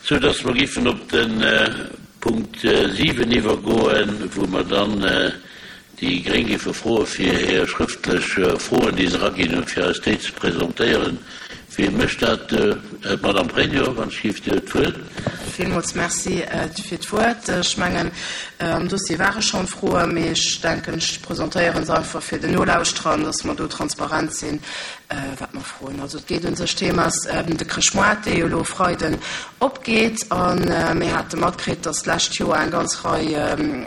Sou dass mer giffen op de Punkt 7 iwwergoen, wou mer dann déi gréng giffe froe fir hir schrëftlech Froen, déi se eraginn hunn, fir eis déi ze presentéieren. Wie mécht dat? D'Madame Pregno, wann ech giff Dir d'Wuert. Villmools Merci fir d'Wuert. Ech mengen, am Dossier ware schonn Froen, mee ech denken, ech presentéiere se einfach fir den Nolauschterern, dass mer do transparent sinn, wat mer froen. Also et geet un sech, Thema ass de Chrëschtmoart, dee jo elo e Freiden opgeet. A mir hate matkritt, dass d'lescht Joer eng ganz Rei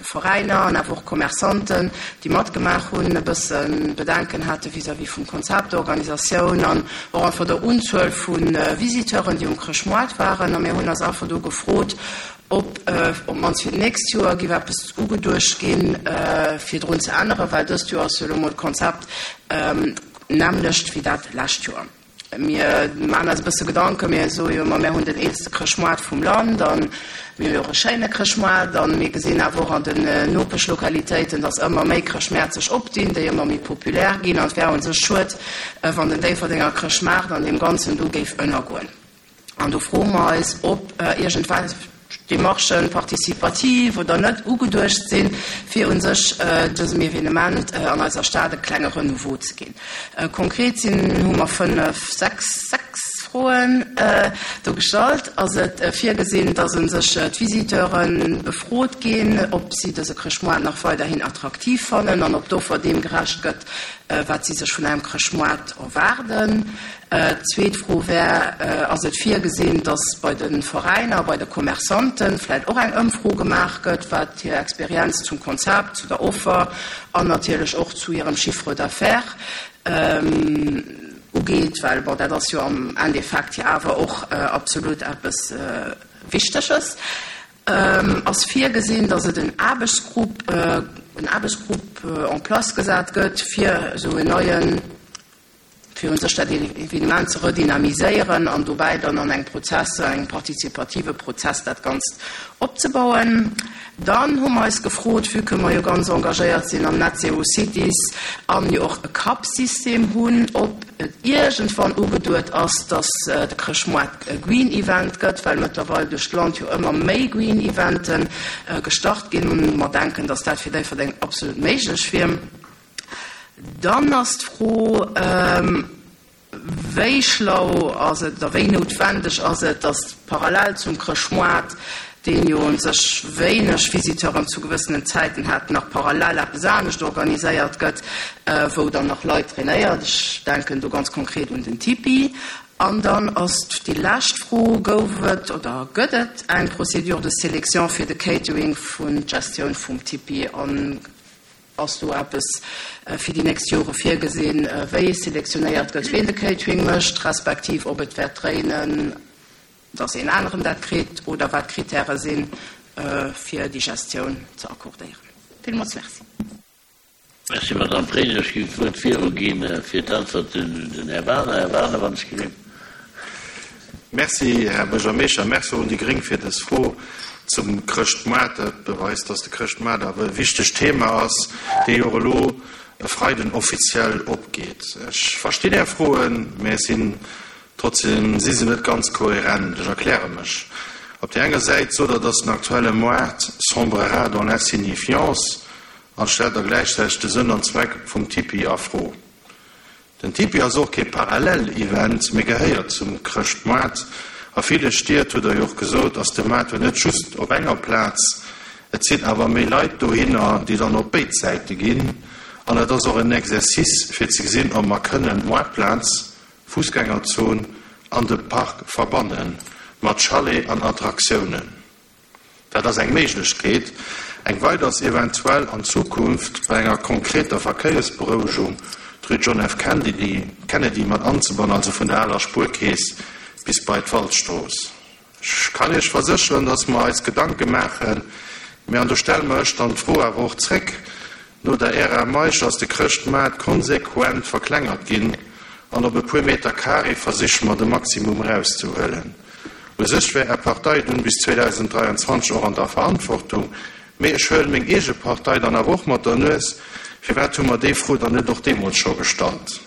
Veräiner an awer och Commerçanten, déi matgemaach hunn, e bësse Bedenken hate vis-à-vis vum Konzept, der Organisatioun an och einfach der Unzuel vu Visiteuren, déi um Chrëschtmoart waren. A mir hunn eis einfach do gefrot, ob op d'mannst fir d'nächst Joer géif eppes ugeduecht ginn, fir drun ze änneren, well dëst Joer ass jo elo mol d'Konzept d'nämmlecht wéi dat lescht Joer. Mir maachen eis e bësse Gedanken, mir soe jo ëmmer, mir hunn den eelste Chrëschtmoart vum Land a mir hu jo och e schéine Chrëschtmoart a mir gesinn awer och an den Nopeschlokalitéiten, datt ëmmer méi Chrëschtmäert sech opdinn, déi ëmmer méi populär ginn an et wär u sech schued, wann den Déifferdenger Chrëschtmaart an deem Ganzen do géif ënnergoen. An do froe mer eis, ob iergendwelch Démarchen, participativ oder net, ugeduecht sinn, fir u sech dësem Evenement an eiser Stad e klenge Renouveau ze ginn. Konkret sinn, hu mer fënnef, sechs, sechs Froen do gestallt. Ass et virgesinn, dass u sech d'Visiteure befrot ginn, ob si dëse Chrëschtmoart nach weiderhin attraktiv fannen an ob d'Offer deem gerecht gëtt, wat si sech vun engem Chrëschtmoart erwaarden? D'zweet Fro wär, Ass et virgesinn, dass bei de Veräiner, bei de Commerçanten vläicht och eng Ëmfro gemaach gëtt, wat hir Experienz zum Konzept, zu der Offer an natierlech och zu hirem Chiffre d'affaires ugeet? Well, bon, dat ass jo am Endeffekt jo awer och absolut eppes Wichteges. Ass virgesinn, dass et en Aarbechtsgrupp, en Aarbechtsgrupp en place gesat gëtt, fir esou en neien, fir un sech dat Evenement ze redynamiséieren an dobäi dann an engem Prozess, engem partizipative Prozess dat Ganzt opzebauen. Dann hu mer eis gefrot, vue que mer jo ganz engagéiert sinn am Net Zero Cities an jo och e Cup-System hunn, ob et iergendwann ugeduet ass, dass de Chrëschtmoart e Green Event gëtt, well mëttlerweil duerch d'Land jo ëmmer méi Green Evente gestart ginn. Mer denken, dass dat fir Déifferdeng absolut méiglech wier. Dann ass d'Fro, Wéi schlau ass et oder wéi noutwendeg ass et, datt parallel zum Chrëschtmoart, deen jo u sech wéineg Visiteuren zu gewëssenen Zäiten hat, nach parallel eppes anescht organiséiert gëtt, wou dann nach Leit trainéiert? Ech denken do ganz konkret un den Tipi. An dann ass déi lescht Fro, Gouf et oder gëtt et eng Procédure de sélection fir de Catering vun d'Gestioun vum Tipi? An Ass do eppes fir déi nächst Jore virgesinn, wéi selektionéiert gëtt, ween de Catering mécht, respektiv ob et wäert dréinen, dass een aneren dat kritt, oder wat d'Kritäre sinn, fir déi Gestioun ze accordéieren? Villmools Merci. Merci, Madamm Pregno. Ech géif d'Wuert viruginn fir d'Äntwert un den Här Wagener. Här Wagener, wann ech gelift. Merci, Här Buergermeeschter. Merci och un déi Gréng fir dës Fro zum Chrëschtmoart. Dat beweist, dass de Chrëschtmoart awer e wichtegt Thema ass, dee jo och elo e Freiden offiziell opgeet. Ech verstinn Är Froen, mä ech sinn trotzdem si se net ganz kohärent. Ech erkläre mech. Op där enger Säit sot Der, dass den aktuelle Moart sombrera dans l'insignifiance an stellt da gläichzäiteg de Sënn an Zweck vum Tipi a Fro. Den Tipi ass och kee Parallel-Event, mee gehéiert zum Chrëschtmoart. A ville Stied, hutt Der jo och gesot, ass de Maart jo net just op enger Plaz. Et sinn awer méi Leit dohinner, déi dann op béid Säite ginn. An et ass och en Exercice, fir ze gesinn, ob mer kënnen d'Moartplaz, Fussgängerzon an de Park verbanne mat Chalet an Attraktiounen. Dat ass eng Méiglechkeet. Eng weider ass eventuell an Zukunft bei enger konkreter Verkéiersberouegung d'Rue John F. Kennedy mat anzebannen, also vun der aler Spuerkeess bis bei d'Waldstrooss. Ech kann Iech versécheren, dass mer eis Gedanke maachen, mä, an do stelle mer ech dann d'Fro awer och zréck, No der Ära Meisch ass de Chrëschtmaart konsequent verklengert ginn an op e puer Meter Carré versiche mer de Maximum erauszehuelen. U sech wär Är Partei dunn bis 2023 och an der Verantwortung, mee ech huelen meng eege Partei dann awer och mat der Nues, firwat hu mer déi Fro dann net och deemools scho gestallt?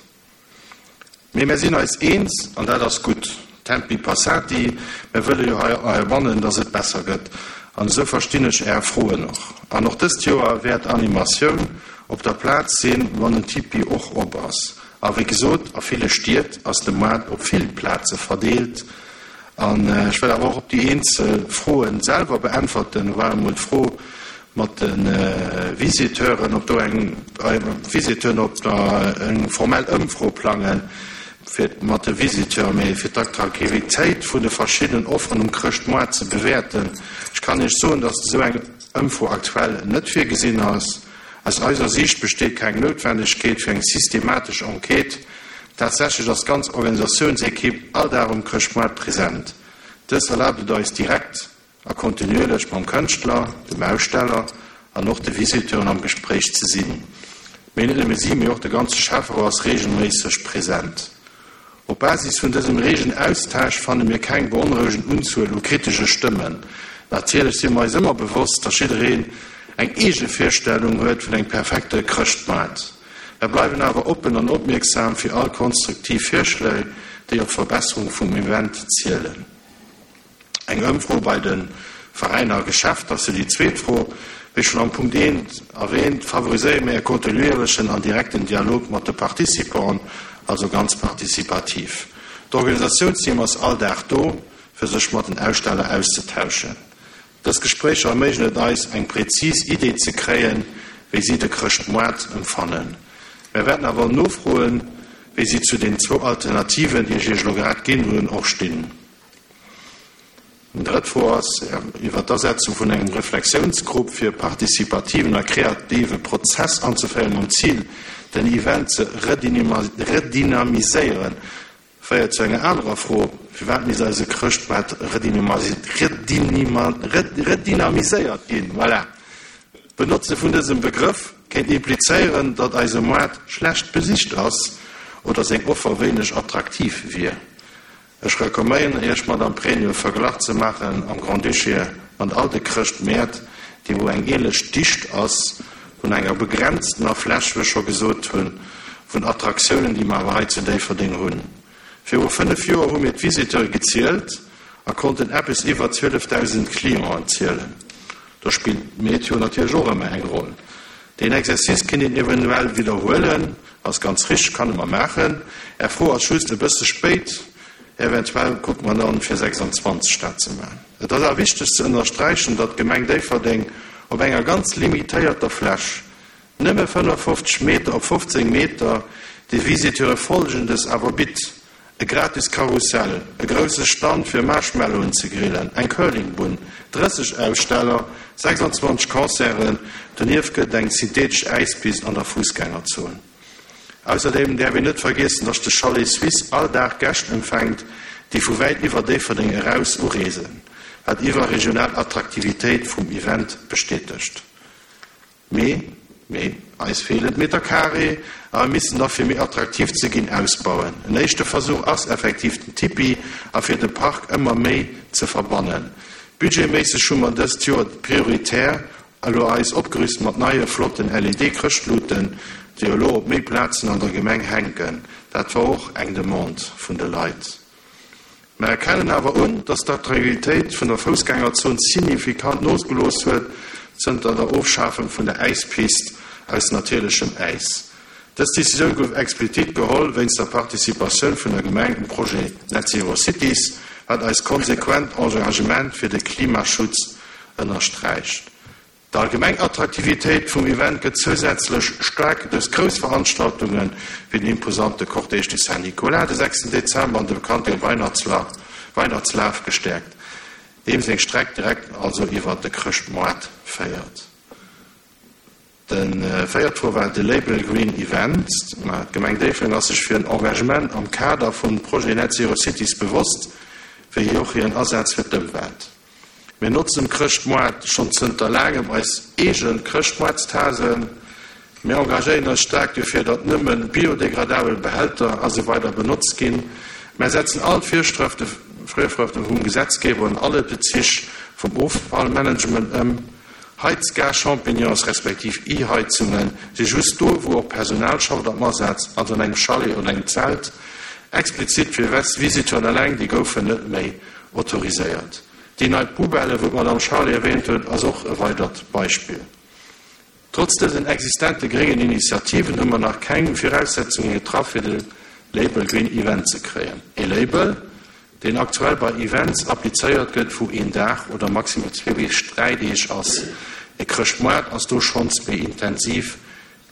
Mee mär sinn eis eens, an dat ass gutt. Tempi passati, mär wëlle jo hei heibannen, dass et besser gëtt. An esou verstinn ech Är Froen och. An och dëst Joer wäert Animatioun op der Plaz sinn, wann den Tipi och op ass. A wéi gesot, a ville Stied ass de Moart op vill Plaze verdeelt. An ech wëll awer och op déi eenzel Froen selwer beäntwerten. Do war emol d'Fro mat de Visiteuren, ob do eng Visiteuren, ob der eng formell Ëmfro plangen fir mat de Visiteuren, mee fir d'Attraktivitéit vun de verschiddenen Offeren um Chrëschtmoart ze bewäerten. Ech kann Iech soen, datt esou eng Ëmfro aktuell net virgesinn ass. Aus eiser Siicht besteet keng Noutwendegkeet fir eng systematesch Enquête. Tatsächlech ass d'ganz Organisatiounsequipe all Dag um Chrëschtmoart present. Dëst erlaabt et eis direkt a kontinuierlech mam Kënschtler, dem Aussteller an och de Visiteuren am Gespréich ze sinn. Mee net nëmme si, mee och de ganze Schäfferot ass reegelméisseg present. Op Basis vun dësem reegen Austausch fanne mir keng beonrouegend Unzuel u kritesche Stëmmen. Natierlech si mer eis ëmmer bewosst, datt jiddereen eng eege Virstellung huet vun engem perfekte Chrëschtmaart. Mer bleiwen awer oppen an opmierksam fir all konstruktiv Virschléi, déi op d'Verbesserung vum Event zielen. Eng Ëmfro bei de Veräiner a Geschäfter ass jo déi zweet Fro. Wéi schonn am Punkt eent erwähnt, favoriséiere mir e kontinuierlechen an direkten Dialog mat de Participanten, also ganz participativ. D'Organisatiounsteam ass all Dag do, fir sech mat den Aussteller auszetauschen. Dës Gespréicher erméiglechen et eis, eng präzis Idee ze kréien, wéi si de Chrëschtmoart empfannen. Mär wäerten awer nofroen, wéi si zu den zwou Alternativen, déi ech Iech elo grad ginn hunn, och stinn. Eng drëtt Fro ass iwwer d'Asetzung vun engem Reflexiounsgrupp fir e participativen a kreative Prozess anzeféieren, mam Zil, den Event ze redynamiséieren, féiert zu enger anerer Fro, Firwat misst eise Chrëschtmaart redynamiséiert ginn? Voilà! D'Benotze vun dësem Begrëff kéint implizéieren, datt eise Moart schlecht besicht ass oder seng Offer wéineg attraktiv wier. Ech recomméieren Iech, Madame Pregno, e Verglach ze maachen am Grand-Duché mat all de Chrëschtmäert, déi wou eng ähnlech Dicht ass vun enger begrenztener Fläch, wéi ech scho gesot hunn, vun Attraktiounen, déi mer awer hei zu Déifferdeng hunn. Viru 5 Joer hu mir d'Visiteure gezielt a konnten eppes iwwer 12.000 Clienten zielen. Do spillt d'Meteo natierlech och ëmmer eng Roll. Deen Exercice kinnt een eventuell widderhuelen, ass ganz richteg, kann e mer maachen. Är Fro ass just e bësse spéit, eventuell kucke mer dann fir 26 dat ze maachen. Et ass awer wichteg ze ënnersträichen, datt d'Gemeng Déifferdeng op enger ganz limitéierter Fläch, nëmme 55 Meter op 15 Meter, de Visiteure Folgendes awer bitt, E gratis Karussell, e grousse Stand fir Marshmallowen ze grillen, eng Curlingbunn, 30 Aussteller, 26 Concerten, donieft gëtt et eng synthetesch Äispist an der Fussgängerzon. Ausserdeem däerf een net vergiessen, dass de Chalet Suisse all Dag Gäscht empfänkt, déi vu wäit iwwer Déifferdeng eraus ureesen, wat iwwerregional Attraktivitéit vum Event bestätegt. Mee, mee, eis feelen d'Meter carré a mir missen da fir méi attraktiv ze ginn ausbauen. En éischte Versuch ass effektiv den Tipi a fir de Park ëmmer méi ze verbannen. Budgetméisseg hu mer dëst Joer prioritär elo eis opgerüst mat neie flotten LED-Chrëschtluten, déi elo op méi Plazen an der Gemeng hänken. Dat war och eng Demande vun de Leit. Mer erkennen awer un, dass d'Attraktivitéit vun der Foussgängerzon signifikant nogelooss huet zënter der Ofschafung vun der Äispist aus natierlechem Äis. Dës Decisioun gouf explizitt geholl wéinst der Participatioun vun der Gemeng um Projet Net Zero Cities, wat eist konsequent Engagement fir de Klimaschutz ënnersträicht. D'allgemeng Attraktivitéit vum Event gëtt zousätzlech staark duerch grouss Veranstaltunge wéi den imposante Cortège du Saint-Nicolas de 6 Dezember an de bekannte Weihnachtslaf gestäerkt, deem seng Streck direkt also iwwer de Chrëschtmoart féiert. De véiert Fro war de Label Green Event. D'Gemeng Déifferdeng ass sech fir en Engagement am Kader vum Projet Net Zero Cities bewosst, wéi och hiren Asaz fir d'Ëmwelt. Mir notzen um Chrëschtmoart schonn zënter laangem eis eege Chrëschtmoartstasen. Mir engagéieren eis staark dofir, datt nëmme biodegradabel Behälter a sou weider benotzt ginn. Mär setzen all d'Virschrëfte vum Gesetzgeber an alle Bezich vum Offallmanagement ëm. Heizgas-Champignons respektiv E-Heizunge si just do, wou och Personal schafft am Asaz, also an engem Chalet oder engem Zelt. Explizit fir Visiteuren eleng, déi goufen net méi autoriséiert. Déi nei Poubelle, wou d'Madame Charlé erwähnt huet, ass och e weidert Beispill. Trotz dësen existente gréngen Initiativen hu mer nach keng Viraussetzunge getraff, fir de Label Green Event ze kréien. E Label, deen aktuell bei Events applizéiert gëtt, wou een Dag oder maximal zwee bis dräi Deeg ass. E Chrëschtmoart ass do schonns méi intensiv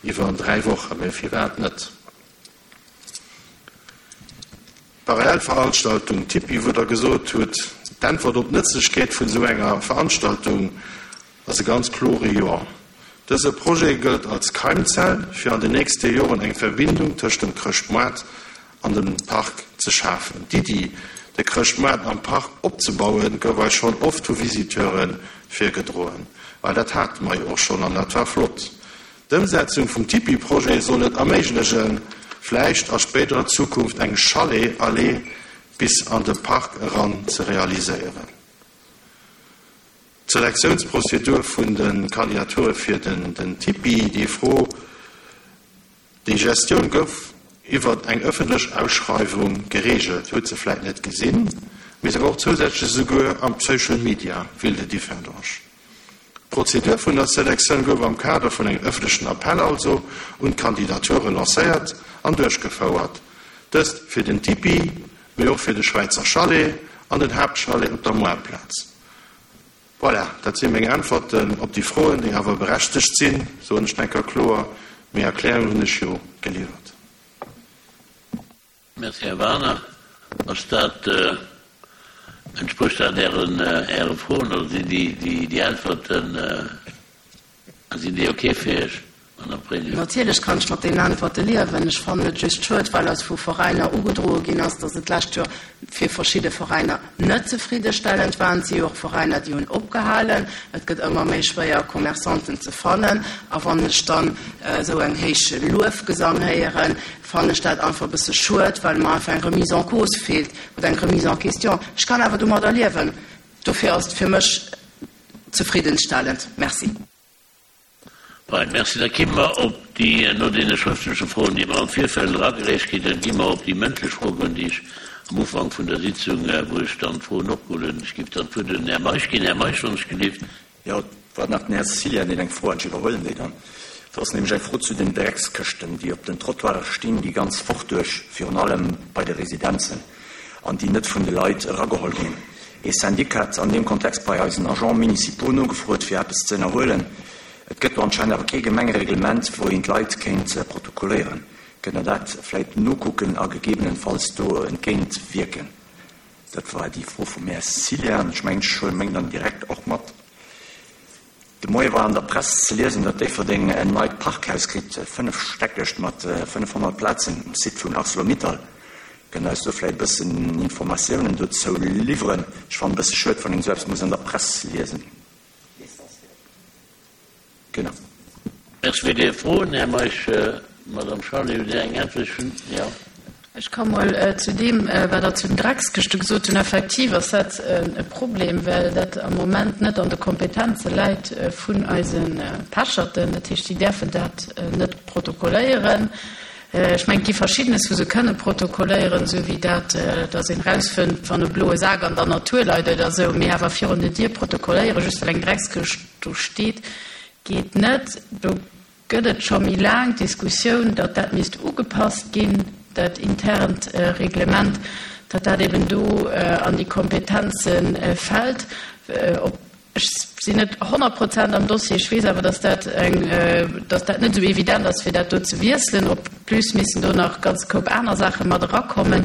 iwwer dräi Wochen, mä firwat net? D'Parallelveranstaltung Tipi, wou Der gesot hutt, d'Äntwert op d'Nëtzlechkeet vun esou enger Veranstaltung ass e ganz klore Jo. Dëse Projet gëllt als Keimzell, fir an den nächste Joren eng Verbindung tëscht dem Chrëschtmoart an dem Park ze schafen. D'Iddi, de Chrëschtmoart am Park opzebauen, gouf eis schonn oft vu Visiteure virgedroen. Well dat hate mer jo och schonn an dat war flott. D'Ëmsetzung vum Tipi-Projet soll et erméiglegen, vläicht a spéiderer Zukunft eng Chalet-Allee bis an de Park eran ze realiséieren. D'Selektiounsprozedur vun de Kandidature fir den Tipi, déi Fro, déi Gestioun gouf iwwert eng ëffentlech Ausschreiwung gereegelt, huet se vläicht net gesinn, mee se war och zousätzlech esouguer am Social Media, Ville de Differdange. D'Prozedur vun der Selektioun gouf am Kader vun engem ëffentlechen Appell also un d'Kandidature lancéiert an duerchgefouert, dëst fir den Tipi, mee och fir de Schwäizer Chalet an den Haaptchalet op der Moartplaz. Voilà, dat si meng Äntwerten op déi Froen, déi awer berechtegt sinn, soen ech enker kloer. Méi Erklärungen hunn ech jo geliwwert. Merci, Här Wagener. Ass dat, entsprécht dat Ären, Äre Froen oder sinn déi, déi Äntwerten, sinn déi ok fir Iech, Madame Pregno? Natierlech kann ech mat deenen Äntwerte liewen. Ech fannen et just schued, well eis vu Veräiner ugedroe ginn ass, datt et d'lescht Joer fir verschidde Veräiner net zefriddestellend war. Et si jo och Veräiner, déi hunn opgehalen. Et gëtt ëmmer méi schwéier, Commerçanten ze fannen. A wann ech dann esou eng héich Luefgesang héieren, fannen ech dat einfach e bësse schued, well mer einfach eng Remise en cause feelt oder eng Remise en question. Ech kann awer domadder liewen. Dofir ass et fir mech zefriddenstellend. Merci. Fein, merci. Da gi mer op déi, no deene schrëftleche Froen, déi mer am Virfeld eragereecht kritt hunn, gi mer op déi mëndlech Fro goen, déi ech am Ufank vun der Sitzung, wou ech dann d'Froen opgeholl hunn. Ech géif dann d'Wuert un den Här Meisch ginn. Här Meisch, wann ech gelift. Jo, et war nach den Här Cilian, deen eng Fro hat. Ech iwwerhuelen déi dann. Et ass nämlech eng Fro zu den Dreckskëschten, déi op den Trottoiren stinn, déi ganz Woch duerch, virun allem bei de Residenzen, an déi net vun de Leit erageholl ginn. Ee Syndic hat an deem Kontext bei eisen Agents municipaux nogefrot, fir eppes ze ënnerhuelen. Et gëtt do anscheinend awer kee Gemengereglement, wou een d'Leit kéint protokolléieren. Kënnt Der dat vläicht nokucken a gegebenenfalls do entgéint wierken? Dat war déi Fro vum Här Cilian. Ech mengen, ech huele meng dann direkt och mat. De Moie war an der Press ze liesen, datt Déifferdeng en neit Parkhaus kritt, fënnefstäckegt mat 500 Plazen um Site vun Arcelor-Mittal. Kënnt Der eis do vläicht e bëssen Informatiounen dozou liwweren? Ech fannen e bësse schued, wann een esou eppes muss an der Press liesen. Genau. Merci fir déi Froen, Här Meisch. Madame Charlé, hutt Dir eng Äntwert? Ech hunn, jo. Ech ka mol zu deem, wat Der zu den Dreckskëschte gesot hunn. Effektiv ass dat e Problem, well dat am Moment net an de Kompetenze läit vun eise Pecherten. Dat heescht, déi däerfen dat net protokolléieren. Ech mengen, et gi Verschiddenes, wou se kënne protokolléieren, esou wéi dat, datt een erausfënnt, wann e bloe Sak an der Natur leit oder esou. Mee awer virun der Dier protokolléieren, just well eng Dreckskëscht do steet, geet net. Do gëtt et scho méi laang d'Diskussioun, datt dat misst ugepasst ginn, dat internt Reglement, datt dat eben do an déi Kompetenze fält. Ob, ech sinn net 100 Prozent am Dossier, ech weess awer, datt dat eng, datt dat net esou evident ass, fir dat do ze wiesselen. Op plus missen do nach ganz Koup aner Saache mat erakommen,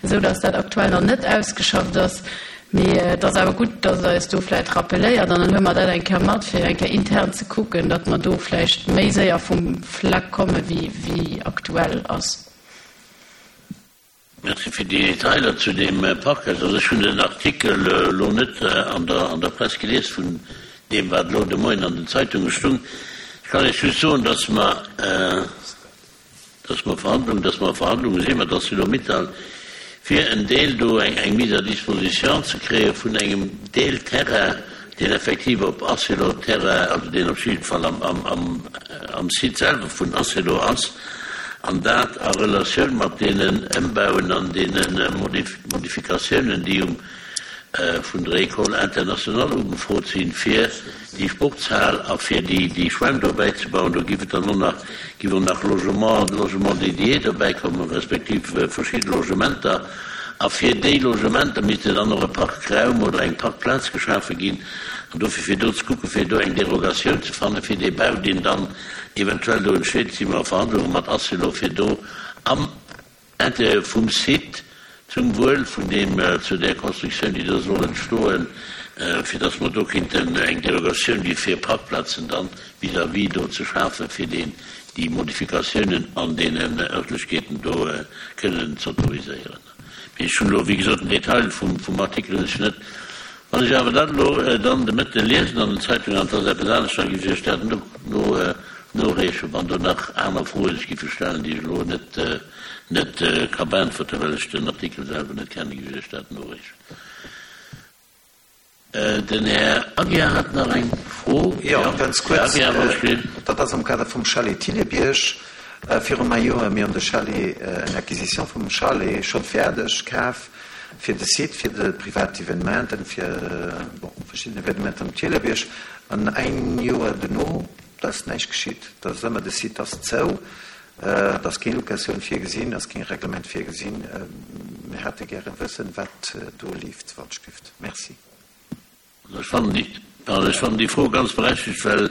esou datt dat aktuell nach net ausgeschafft ass. Mee et ass awer gutt, dass Der eis do vläicht rappeléiert an dann huele mer dat eng Kéier mat, fir eng Kéier intern ze kucken, datt mer do vläicht méi séier vum Fleck komme wéi aktuell ass. Merci fir déi Detailer zu deem Parkhaus. Also ech hunn den Artikel elo net an der Press gelies vun deem wat elo de Moien an den Zeitunge stung. Ech kann Iech just soen, dass mer, dass mer Verhandlungen, dass mer a Verhandlunge si mat Arcelor-Mittal, fir en Deel do, eng eng Mise à disposition ze kréie vun engem Deel Terrain, deen effektiv op Arcelor-Terrain, also deen op jidde Fall am, am, am, am Site selwer vun Arcelor ass. An dat a Relatioun mat deenen Ëmbauen an deene Modifikatiounen, déi um vun der École internationale ugefrot sinn, fir déi Sportshal a fir déi Schwämm do bäizebauen. Do giff et dann och nach, giff och nach Logement, Logement dédié dobäikommen, respektiv verschidde Logementer. A fir déi Logementer misste dann och e Parkraum oder eng Parkplaz geschafe ginn. An dofir, fir do ze kucken, fir do eng Derogatioun ze fannen, fir dee Bau, deen dann eventuell do entsteet, si mer a Verhandlunge mat Acelo, fir do am Intérieur vum Site, zum Wuel vun deem, zu där Constructioun, déi do soll entstoen, fir dass mer do kinnten eng Derogatioun gi fir Parkplazen dann vis-à-vis do ze schafen, fir deen, déi Modifikatiounen an deenen Örtlechkeeten do kënnen z'autoriséieren. Mee ech hunn elo, wéi gesot, den Detail vum, vum Artikel hunn ech net. Wann ech awer dat elo dann de Mëtte liesen an den Zeitungen, an et ass eppes anescht, da géif ech Iech dat no, no, noreechen, wann do nach aner Froe sech giffe stellen, déi ech elo net, net ka beäntwerten, well ech den Artikel selwer net kennen, géif ech Iech dat noreechen. Den Här Aguiar hat nach eng Fro. Jo, ganz kuerz. Dat ass am Kader vum Chalet Thillebierg. Viru e Joer, mir hunn de Chalet, eng Acquisition vum Chalet scho fäerdeg kaf fir de Site, fir de privat Evenementen, fir, bon, verschidden Evenementen um Thillebierg. An ein Joer duerno, da ass näischt geschitt. Da ass ëmmer, de Site ass zou. Et ass keng Locatioun virgesinn, ass keng Reglement virgesinn. Mir hätte gären wëssen, wat do leeft, wann et stifft. Merci. Ech fannen déi, pardon, ech fannen déi Fro ganz berechtigt, well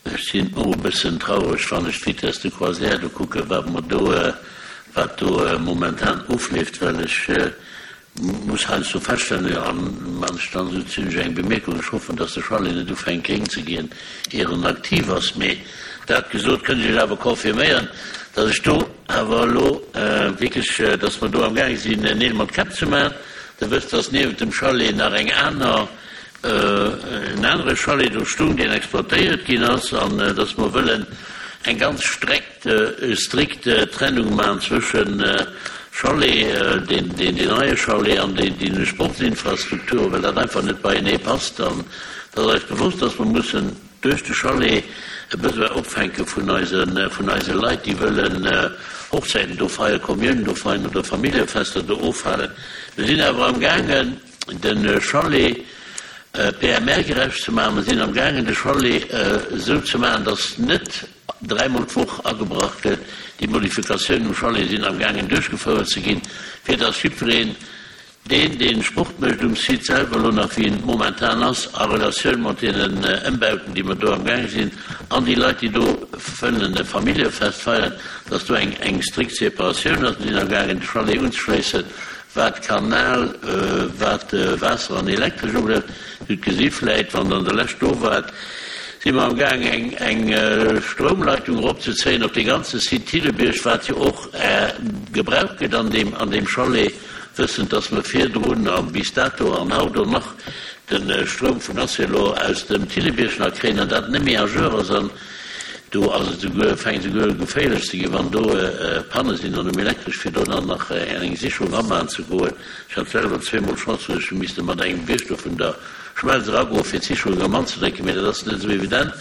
ech sinn och e bëssen traureg, wann ech d'Vitesse de croisière do kucken, wat mer do, wat do momentan ofleeft, well ech Muss heiansdo feststellen, an man ech dann esou zimlech eng Bemierkung, ech hoffen, dass de Chalet net ufänkt gréng ze ginn, ier en aktiv ass. Mee dat gesot, kënnt ech Iech awer confirméieren, dass ech do awer elo wierklech, dass mer do amgaange sinn, Neel mat Käpp ze maachen. Der wësst, dass niewent dem Chalet nach eng aner, en anere Chalet do stung, deen exploitéiert ginn ass, an dass mer wëllen eng ganz Streck, strikt Trennung maachen zwëschen Chalet, deen neie Chalet an deene Sportsinfrastrukturen, well dat einfach net beienee passt. An et ass eis bewosst, dass mer mussen duerch de Chalet e Besoin opfänke vun eise, vun eise Leit, déi wëllen Hochzäiten do feieren, Kommiounen do feiern oder Familljefester do ofhalen. Mir sinn awer amgaangen, de Chalet PMR-gerecht ze maachen. Mer sinn amgaangen, de Chalet esou ze maachen, dass net dräimol d'Woch agebrach gëtt. Déi Modifikatiounen um Chalet sinn am gaangen duerchgefouert ze ginn, fir dass jiddwereen, deen dee Sport mécht um Site selwer, elo nach wéi en momentan ass, a Relatioun mat deenen Ëmbauten, déi mer do am gaange sinn, an déi Leit, déi do wëllen e Familljefest feieren, dass do eng eng strikt Separatioun ass. Mir sinn am gaangen de Chalet unzeschléissen, wat Kanal, wat Waasser an Elektresch ubelaangt. Dir hutt gesi vläit, wann Der an der Lescht do waart, si mer am Gaang eng eng Stroumleitung eropzezéien op dee ganze Site Thillebierg, wat jo och gebraucht gëtt an deem an deem Chalet, wëssend, dass mer virdrun a bis dato an haut och nach de Stroum vun Acelo aus dem Thillebierg nach kréien an dat net méi à jour ass. An do ass et souguer, fänkt esouguer u geféierlech ze ginn, wann do Panne sinn an um Elektresch, fir do dann nach eng Sicherung amachen ze goen. Ech hat selwer zweemol d'Chance, wou ech hu misste mat engem Wierschter vun der Schmelz eragoen, fir d'Sicherung erëm anzedrécken, mee dat ass net esou evident,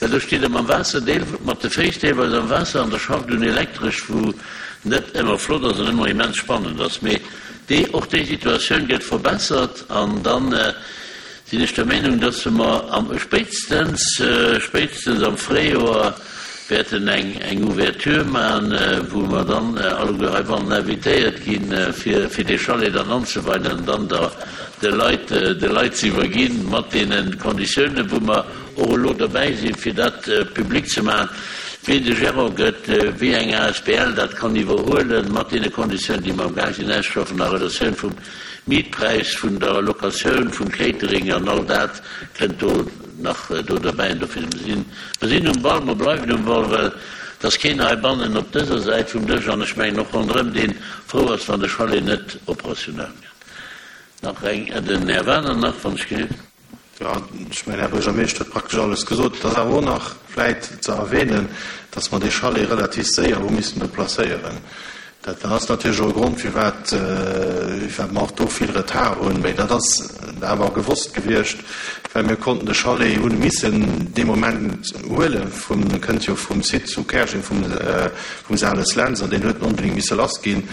well do steet Der mam Waasser, deel mat de Féiss deelweis am Waasser an der schafft un Elektresch, wou net ëmmer flott ass an ëmmer immens spannend ass. Mee déi, och déi Situatioun gëtt verbessert an dann sinn ech der Meenung, dass mer am, spéitstens, spéitstens am Fréijoer wäerten eng, eng Ouverture maachen, wou mer dann alleguer heibannen invitéiert ginn, fir, fir dee Chalet dann anzeweien an dann der, de Leit, de Leit ze iwwerginn, mat deene Konditiounen, wou mer och elo derbäi sinn, fir dat public ze maachen, wien de Gérant gëtt, wéi eng asbl dat kann iwwerhuelen, mat deene Konditiounen, déi mer amgaang sinn auszeschaffen a Relatioun vum Mietpräis, vun der Locatioun, vum Catering an all dat kënnt do nach do derbäi. An dofir, mer sinn, mer sinn um Ball, mer bleiwen um Ball, well et ass keen heibannen op dëser Säit vum Dësch an ech mengen och ronderëm, dee frou ass, wann de Chalet net operationell gëtt. Nach eng, den Här Wagener nach, wann ech gelift. Jo, ech mengen, Här Buergermeeschter huet praktesch alles gesot. Et ass awer och nach vläit ze erwähnen, dass mer dee Chalet relativ séier hu missen do placéieren. Dat ass natierlech och e Grond, firwat firwat mer och do vill Retard hunn. Mee dat ass awer gewosst gewiescht, well mir konnten de Chalet, hunn e missen dee Moment huele vum, e kënnt jo vum Site zu Käerjeng, vum vum Sales Lentz, an deen huet onbedéngt misse lass ginn.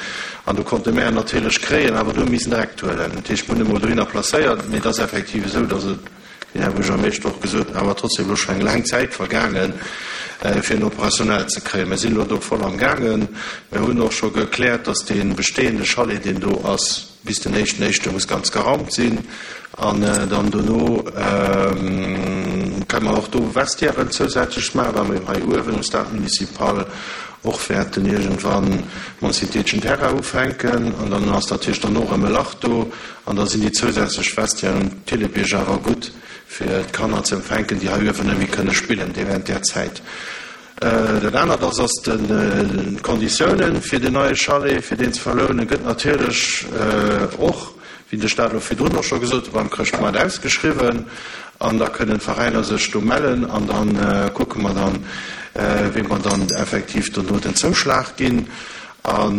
An do konnte mär en natierlech kréien, awer du hu missen direkt huelen. Dat heescht, mir hunn e mol dohinner placéiert, mee et ass effektiv esou, datt et, wéi den Här Buergermeeschter och gesot huet, awer trotzdem elo scho eng laang Zäit vergaangen, fir en opérationnel ze kréien. Mir sinn elo do voll am gaangen. Mir hunn och scho gekläert, dass dee bestehende Chalet, deen do ass, bis den éischten éischte muss ganz geraumt sinn. An dann dono kënne mer och do Vestiairen zousätzlech maachen, well mer jo hei uewen um Stade municipal och wäerten iergendwann mam syntheteschen Terrain ufänken. An dann ass natierlech dann och erëm e Lach do. An da sinn déi zousätzlech Vestiairen um Thillebierg awer gutt, fir d'Kanner ze empfänken, déi hei uewen net méi kënne spillen déi während där Zäit. Dat anert ass, ass d'Konditiounen fir deen neie Chalet, fir deen ze verlounen, gëtt natierlech och, wéi de Staat elo virdrun och scho gesot huet, beim Chrëschtmoart ausgeschriwwen. An da kënnen d'Veräiner sech do mellen an da kucke mer dann, wéi mer dann effektiv dono den Zouschlag ginn. A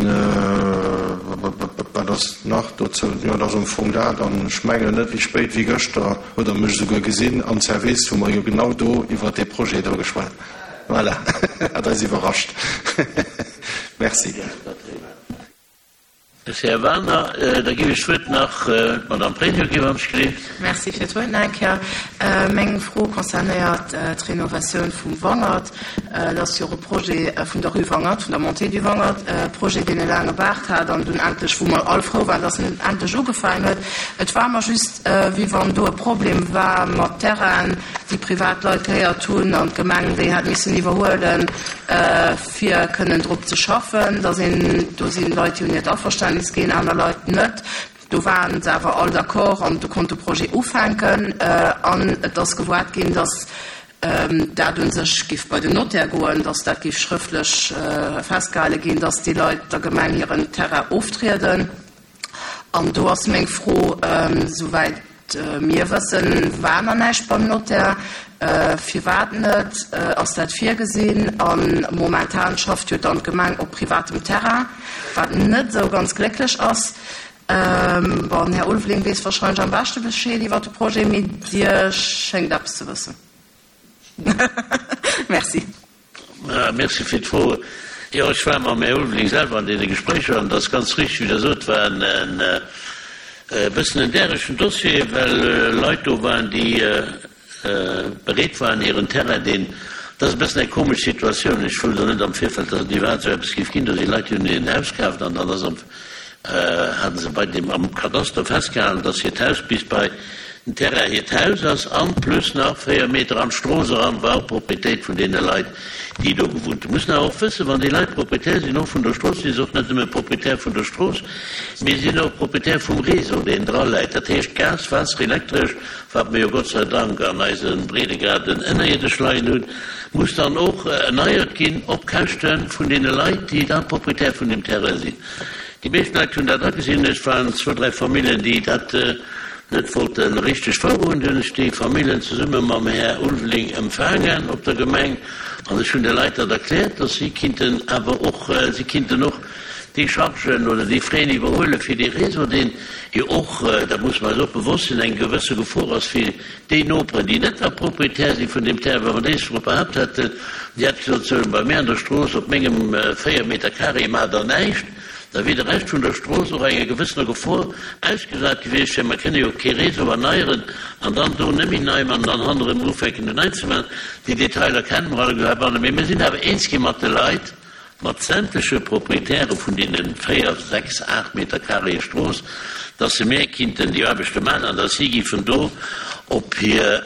wat ass nach dozou? Jo, et ass am Fong dat. An ech mengen, net méi spéit wéi gëschter hutt Der mech esouguer gesinn am Service, wou mer jo genau do iwwert dee Projet do geschwat. Voilà, hat eis iwwerrascht. Merci. Merci, Här Wagener. Da géif ech d'Wuert nach d'Madame Pregno ginn, wann ech gleeft. Merci fir d'Wuert nach eng Kéier. Meng Fro concernéiert d'Renovatioun vum Wangert. Et ass jo och e Projet vun der Rue Wangert, vun der Montée du Wangert, e Projet, deen e laange Baart hat an dunn endlech, wou mer all frou waren, dass en endlech ugefaangen huet. Et war mer just, wéi wann do e Problem war mat Terrainen, déi privat Leit gehéiert hunn an d'Gemeng déi hat missen iwwerhuelen, fir kënnen drop ze schaffen. Da sinn, do si Leit, déi hunn hiert Averständnis ginn, aner Leit net. Do waren se awer all d'accord an do konnt de Projet ufänken. An et ass gewoart ginn, dass dat u sech géif bei den Notaire goen, dass dat géif schrëftlech festgehale ginn, dass déi Leit der Gemeng hiren Terrain oftrieden. An do ass meng Fro, Souwäit mir wëssen, war nach näischt beim Notaire. Firwat net? Ass dat virgesinn? A momentan schafft jo dann d'Gemeng op privatem Terrain, wat net esou ganz glécklech ass. Bon, den Här Ulveling weess wahrscheinlech am beschte Bescheed iwwer de Projet, mee Dir schéngt eppes ze wëssen. Merci. Merci fir d'Fro. Jo, ech war mam Här Ulveling selwer an deene Gespréicher an et ass ganz richteg, wéi Der sot, war en e bëssen en däregen Dossier, well Leit do waren, déi bereet waren, hiren Terrain, deen, dat ass e bëssen eng komesch Situatioun, ech wousst och net am Virfeld, datt et iwwerhaapt esou eppes géif ginn, do si Leit, déi hunn hiren Haus kaaft an dann ass am, hate se bei deem am Kadaster festgehalen, dass hiert Haus bis bei den Terrain hiert Haus ass an plus nach 4 Meter an d'Strooss eran war och Proprietéit vun deene Leit, déi do gewunnt hunn. Mussen awer och wëssen, wann déi Leit Proprietär sinn och vun der Strooss, si se och net nëmme Proprietär vun der Strooss, mee si sinn och Proprietär vum Réseau, deen dra läit, dat heescht Gas, Waasser, Elektresch, wat mer jo Gott sei Dank an eise Breedegraden ënnerierdesch leien hunn, muss dann och erneiert ginn op Käschte vun deene Leit, déi da Proprietär vun deem Terrain sinn. Déi meescht Leit hunn dat agesinn. Et waren zwou, dräi Familljen, déi dat net wollte richteg wouerhuelen. Du hunn ech déi Familljen zesumme mam Här Ulveling empfaangen op der Gemeng an ech hunn de Leit dat erkläert, dass si kinnten awer och, si kinnten och déi Chargen oder déi Frais iwwerhuele fir dee Réseau, deen jo och, dat musse mer eis och bewosst sinn, eng gewësse Gefor ass fir déi Noperen, déi net da Proprietär si vun deem Terrain. Wa mer déi Fro behaapt hätten, déi hätte gesot, sou, bei mär an der Strooss op mengem 4 Meter carré maacht Der näischt, da wier de Rescht vun der Strooss och enger gewëssener Gefor ausgesat gewiescht, well mer kënne jo kee Réseau erneieren an dann do net méi nei man an dann hannerëm ufänken do nei ze man. Déi Detailer kenne mer alleguer heibannen, mee mir sinn awer eens gi mat de Leit, mat sämtleche Proprietäre vun deene 4, 6, 8 Meter carréë Strooss, dass se méi kinnten déi Aarbechte maachen an dass si géifen do op hir,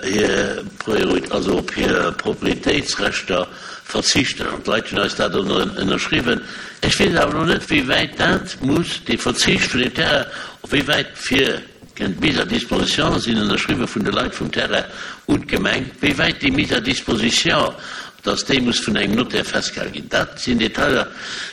also op hir Proprietéitsrechter verzichten. An d'Leit hunn eis dat ënnerschriwwen. Ech weess awer elo net, wéi wäit dat muss, dee Verzicht vun deem Terrain, op wéi wäit fir D'Mise à disposition sinn ënnerschriwwe vun de Leit vum Terrain un d'Gemeng. Wéi wäit déi Mise à disposition, dass déi muss vun engem Notaire festgehale ginn, dat sinn Detailer,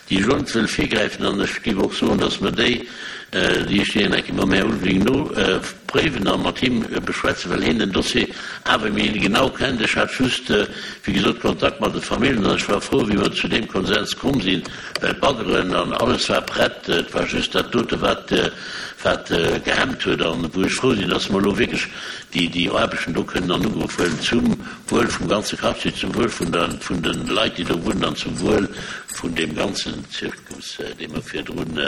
déi ech elo net wëll virgräifen. An ech géif och soen, dass mer déi. Déi ech déi eng Kéier mam Här Ulveling nopréiwen a mat him beschwätzen, well hien den Dossier awer méi genau kennt. Ech hat just, wéi gesot, Kontakt mat de Familljen an ech war frou, wéi mer zu deem Konsens komm sinn, well d'Baggeren an alles war prett. Et war just dat dote wat, wat gehemmt huet an wou ech frou sinn, dass mer elo wierklech déi, déi Aarbechten do kënnen an Ugrëff huelen zum Wuel vum ganze Quartier, zum Wuel vun der, vun de Leit, déi do wunnen an zum Wuel vun deem ganzen Zirkus, dee mer virdrun,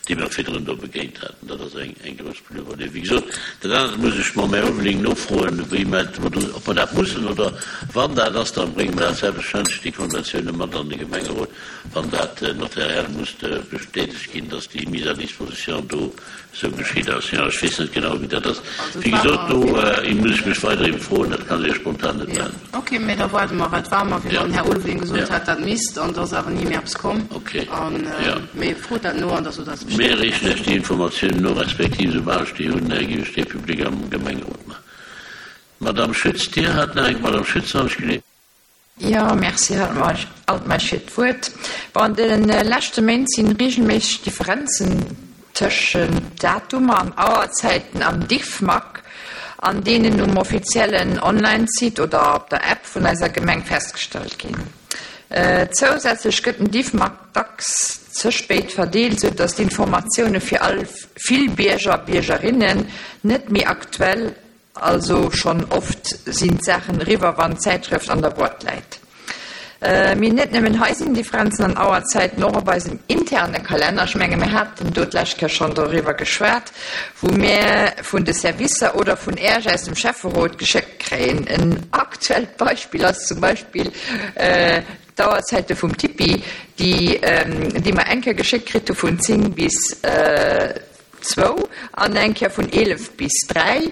déi mer virdrun do begéint haten. Dat ass eng grouss Plus-value. Wéi gesot, dat anert muss ech mam Här Ulveling nofroen, wéi mer do, ob mer dat mussen oder wann dat ass, da brénge mer dat selbstverständlech, déi Konventioune mat an de Gemengerot, wann dat notariell muss bestätegt ginn, dass déi Mise à disposition do esou geschitt ass. Jo, ech weess net genau, wéi dat ass. Wéi gesot, do muss ech mech weider ëmfroen, dat kann ech Iech spontan net beäntweren. Ok, mee da waarde mer, wat war mer, wéi wann den Här Ulveling gesot hätt, dat misst, an et ass awer ni méi eppes komm. An, mee frot dat no an da sot eis Bescheed. Mir reechen Iech déi Informatiounen no, respektiv esoubal ech déi hunn, géif ech déi public am Gemengerot maachen. Madamm Schütz, Dir hat nach eng, Madamm Schütz, wann ech geleet. Jo, merci, Här Altmeisch, fir d'Wuert. Bon, an de leschte Méint si reegelméisseg Differenzen tëschent Datumer an Auerzäiten am Diffmag an deenen um offiziellen Online-Site oder op der App vun eiser Gemeng festgestallt ginn. Zousätzlech gëtt den Diffmag dacks ze spéit verdeelt, sou datt d'Informatioune fir all vill Bierger a Biergerinnen net méi aktuell Also schonn oft sinn d'Saachen eriwwer wann d'Zäitschrëft an der Boîte läit. Mee net nëmmen hei sinn Differenzen an Auerzäiten, och op eisem interne Kalenner, ech menge mir haten do d'lescht Kéier schonn doriwwer geschwat, wou mir vun de Servicer oder vun Äerch aus dem Schäfferot geschéckt kréien. En aktuellt Beispill ass zum Beispill d'Auerzäite vum Tipi, déi déi mer eng Kéier geschéckt kritt hu vun 10 bis Zwou an eng Kéier vun 11 bis 3.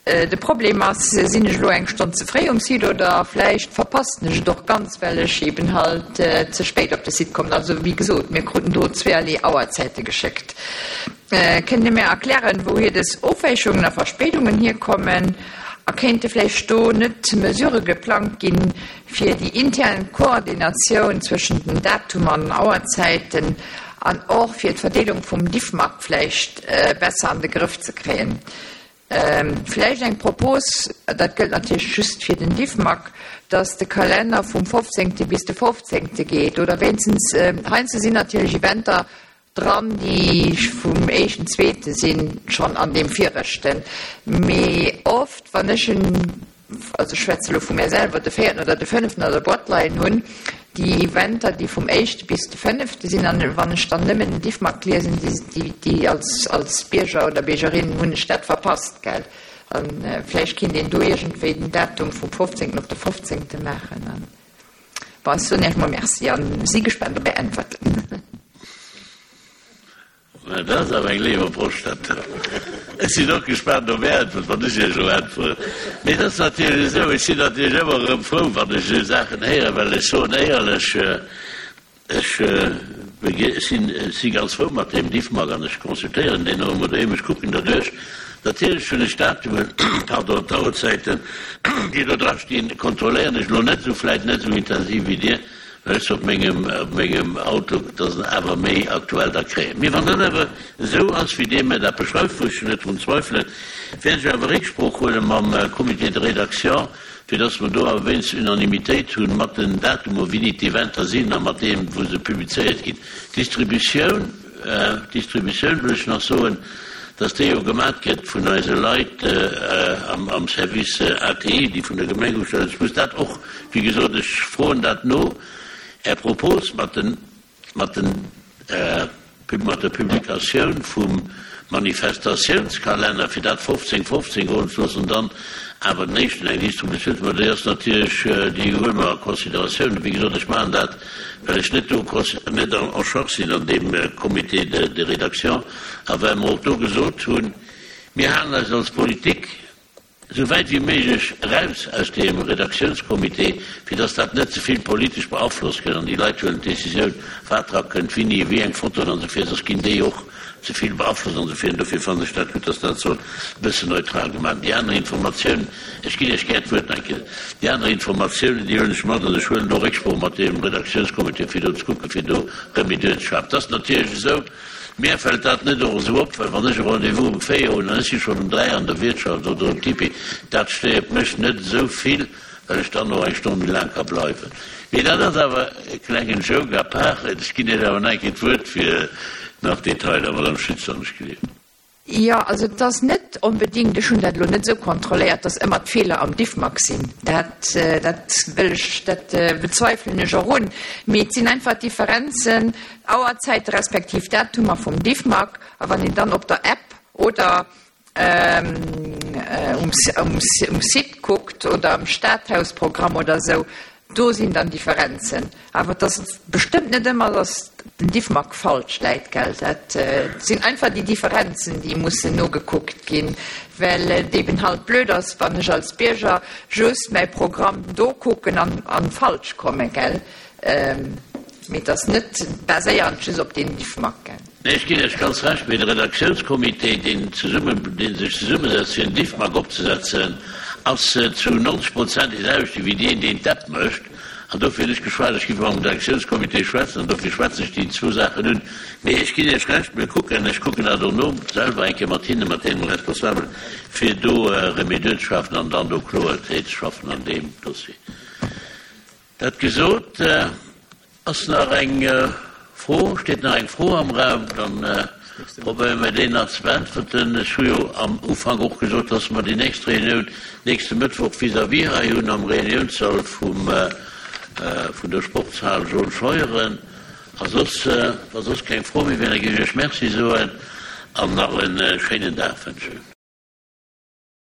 De Problem ass, sinn ech elo eng Stonn ze fréi um Site oder vläicht verpassen ech et och ganz, well ech eben halt ze spéit op de Site kommen. Also wéi gesot, mir kruten do zweeërlee Auerzäite geschéckt. Kënnt Dir mir erklären, wouhier dës Ofwäichungen a Verspéidungen hierkommen? A kéinte vläicht do net Mesurë geplangt ginn, fir déi intern Koordinatioun zwëschen den Datumer an den Auerzäiten an och fir d'Verdeelung vum Diffmag vläicht besser an de Grëff ze kréien. Vläicht eng Propos, dat gëllt natierlech just fir den Diffmag, dass de Kalenner vum 15. bis de 15. geet oder wéinstens, heiansdo sinn natierlech Eventer, Dran, déi vum éischten, zweete sinn, schonn an deem viregten. Mee oft, wann ech en, also ech schwätze elo vu mär selwer, de véierten oder de fënneften an der Boîte leien hunn, déi Eventer, déi vum éischte bis de fënnefte sinn, an wann ech dann nëmmen den Diffmag liesen, déi, déi als, als Bierger oder Biergerin hunn ech dat verpasst, gell. A vläicht kéint een do iergendwéi den Datum vum fofzéngten op de fofzéngte maachen. Bon, ech soen Iech mol Merci an si gespaant op Är Äntwerten. Mä dat ass awer eng léif Approche, dat do. Ech sinn och gespaant op Är Äntwert, wann ech Iech elo äntweren. Mee et ass natierlech esou, ech sinn natierlech ëmmer erëm frou, wann ech esou Saachen héieren, well ech soen éierlech, Ech si ganz frou mat deem Diffmag an ech consultéieren deen och ëmmer doheem. Ech kucken derduerch. Natierlech hunn ech d'Datumen, pardon, d'Auerzäiten, déi do dra stinn, kontrolléieren ech elo net esou, vläit net esou intensiv wéi Dir, well ech se op mengem, op mengem Outlook da awer méi aktuell da kréien. Mee wann dat awer esou ass, wéi Dir mir dat beschreift, wou ech jo net drun zweifelen, wäert ech awer Récksprooch huele mam Comité de rédaction, fir dass mer do awer wéinstens Unanimitéit hunn mat den Datumer, wéini d'Eventer sinn a mat deem, wou se publizéiert ginn. D'Distributioun, d'Distributioun wëll ech nach soen, dass déi jo gemat gëtt vun eise Leit am Service ATI, déi vun der Gemeng ugestellt ass. Ech muss dat och, wéi gesot, ech froen dat no, Är Propos mat den, Mat den mat der Publikatioun vum Manifestatiounskalenner, fir dat 15 15 goen ze loossen, dann awer den éischten eng Distributioun ze maachen, déi ass natierlech, déi huele mer a Consideratioun. Wéi gesot, ech maachen dat, well ech net do net en charge sinn an deem Comité de rédaction a well mer och do gesot hunn, mir halen eis als Politik esou wäit wéi méiglech eraus aus deem Redaktiounscomité, fir dass dat net ze vill politesch beaflosst gëtt an déi Leit huelen d'Décisioun, wat dra kënnt, wéini, wéi eng Fotoen an esou vir, soss ginn déi och ze vill beaflosst an esou vir. An dofir fannen ech dat gutt, dass dat soll e bëssen neutral gemaach ginn. Déi aner Informatiounen, ech ginn Iech gär d'Wuert nach eng Kéier, déi aner Informatiounen, déi huelen ech mat an ech huelen do Récksprooch mat deem Redaktiounscomité, fir do ze kucken, fir do Remédier ze schafen. Et ass natierlech esou. Mär fält dat net och esou op, well wann ech e Rendez-vous um 4 hunn an ech si schonn um 3 an der Wiertschaft oder um Tipi, dat stéiert mech net esou vill, well ech dann och eng Stonn méi laang ka bleiwen. Mee dat ass awer e klengen Joke à part. Ech ginn Iech awer nach eng Kéier d'Wuert fir nach Detailer, Madame Schütz, wann ech gelift. Jo, also et ass net onbedéngt, ech hunn dat elo net esou kontrolléiert, datt ëmmer d'Feeler am Diffmag sinn. Dat, dat wëll ech, dat bezweifelen ech och un. Mee et sinn einfach Differenzen, Auerzäite respektiv Datumer vum Diffmag. A wann een dann op der App oder um, um Site kuckt oder am Stadhausprogramm oder esou, Do sinn dann Differenzen. Awer et ass bestëmmt net ëmmer, datt den Diffmag falsch läit, gell. Dat sinn einfach déi Differenzen, déi mussen nogekuckt ginn, well et eben halt blöd ass, wann ech als Bierger just mäi Programm do kucken an falsch kommen, gell. Mee et ass net baséierend just op deen Diffmag, gell. Nee, ech ginn Iech ganz Recht, mee de Redaktiounscomité, deen zesummen, dee sech zesummesetzt fir en Diffmag opzesetzen, ass zu 90 Prozent dee selwechte wéi deen, deen d'App mécht. An dofir hunn ech geschwat, ech géif mam Redaktiounscomité schwätzen an dofir schwätze ech déi zwou Saachen un. Mee ech ginn Iech Recht, mir kucken, ech kucken dat och no selwer eng Kéier mat hinnen, mat deenen Responsabelen, fir do Remedur ze schafen an dann do Kloerheet ze schaffen an deem Dossier. Dat gesot, ass nach eng Fro, steet nach eng Fro am Raum? Dann probéiere mir déi nach ze beäntwerten. Ech hu jo am Ufank och gesot, dass mer déi nächst Reunioun nächste Mëttwoch vis-à-vis hei hunn am Reuniounssall vum, vun der Sportshal Jaune Scheuren. A soss, wa soss keng Fro méi wier, da géif ech Iech Merci soen an nach e schéinen Dag wënschen.